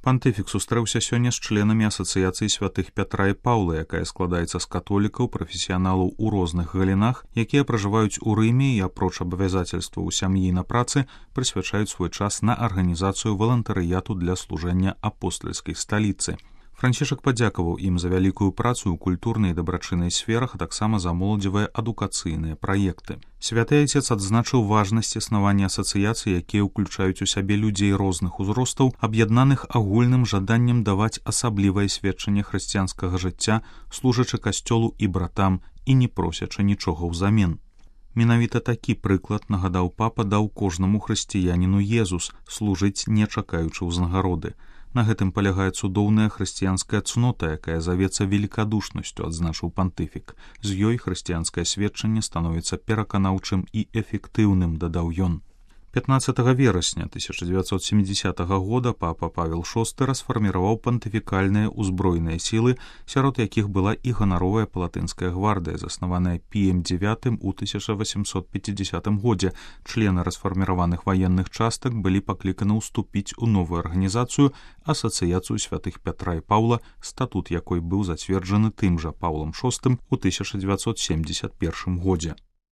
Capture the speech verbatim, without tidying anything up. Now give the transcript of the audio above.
Пантыфік сустрэўся сёння з членамі асацыяцыі святых Пятра і Паўла, якая складаецца з католікаў, прафесіяналаў у розных галінах, якія пражываюць у Рыме і, апроч абавязацельстваў у сям'і на працы, прысвячаюць свой час на арганізацыю валантарыяту для служэння апостальскай сталіцы. Францішак падзякаваў ім за вялікую працу ў культурнай і дабрачыннай сферах, а таксама за моладзевыя адукацыйныя праекты. Святы Айцец адзначыў важнасць існавання асацыяцый, якія ўключаюць у сябе людзей розных узростаў, аб'яднаных агульным жаданнем даваць асаблівае сведчанне хрысціянскага жыцця, служачы касцёлу і братам і не просячы нічога ўзамен. Менавіта такі прыклад, нагадаў папа, даў кожнаму хрысціяніну Езус, служыць не чакаючы ўзнагароды. На гэтым палягае цудоўная хрысціянская цнота, якая завецца велікадушнасцю, адзначыў пантыфік. З ёй хрысціянскае сведчанне становіцца пераканаўчым і эфектыўным, дадаў ён. пятнаццатага верасня тысяча дзевяцьсот сямідзясятага года папа Павел шосты расфарміраваў пантыфікальныя ўзброеныя сілы, сярод якіх была і ганаровая палатынская гвардыя, заснаваная Піем дзевятым у тысяча васямсот пяцідзясятым годзе. Члены расфарміраваных ваенных частак былі пакліканы ўступіць у новую арганізацыю асацыяцыю святых Пятра і Паўла, статут якой быў зацверджаны тым жа Паўлам шостым у тысяча дзевяцьсот семьдесят першым годзе.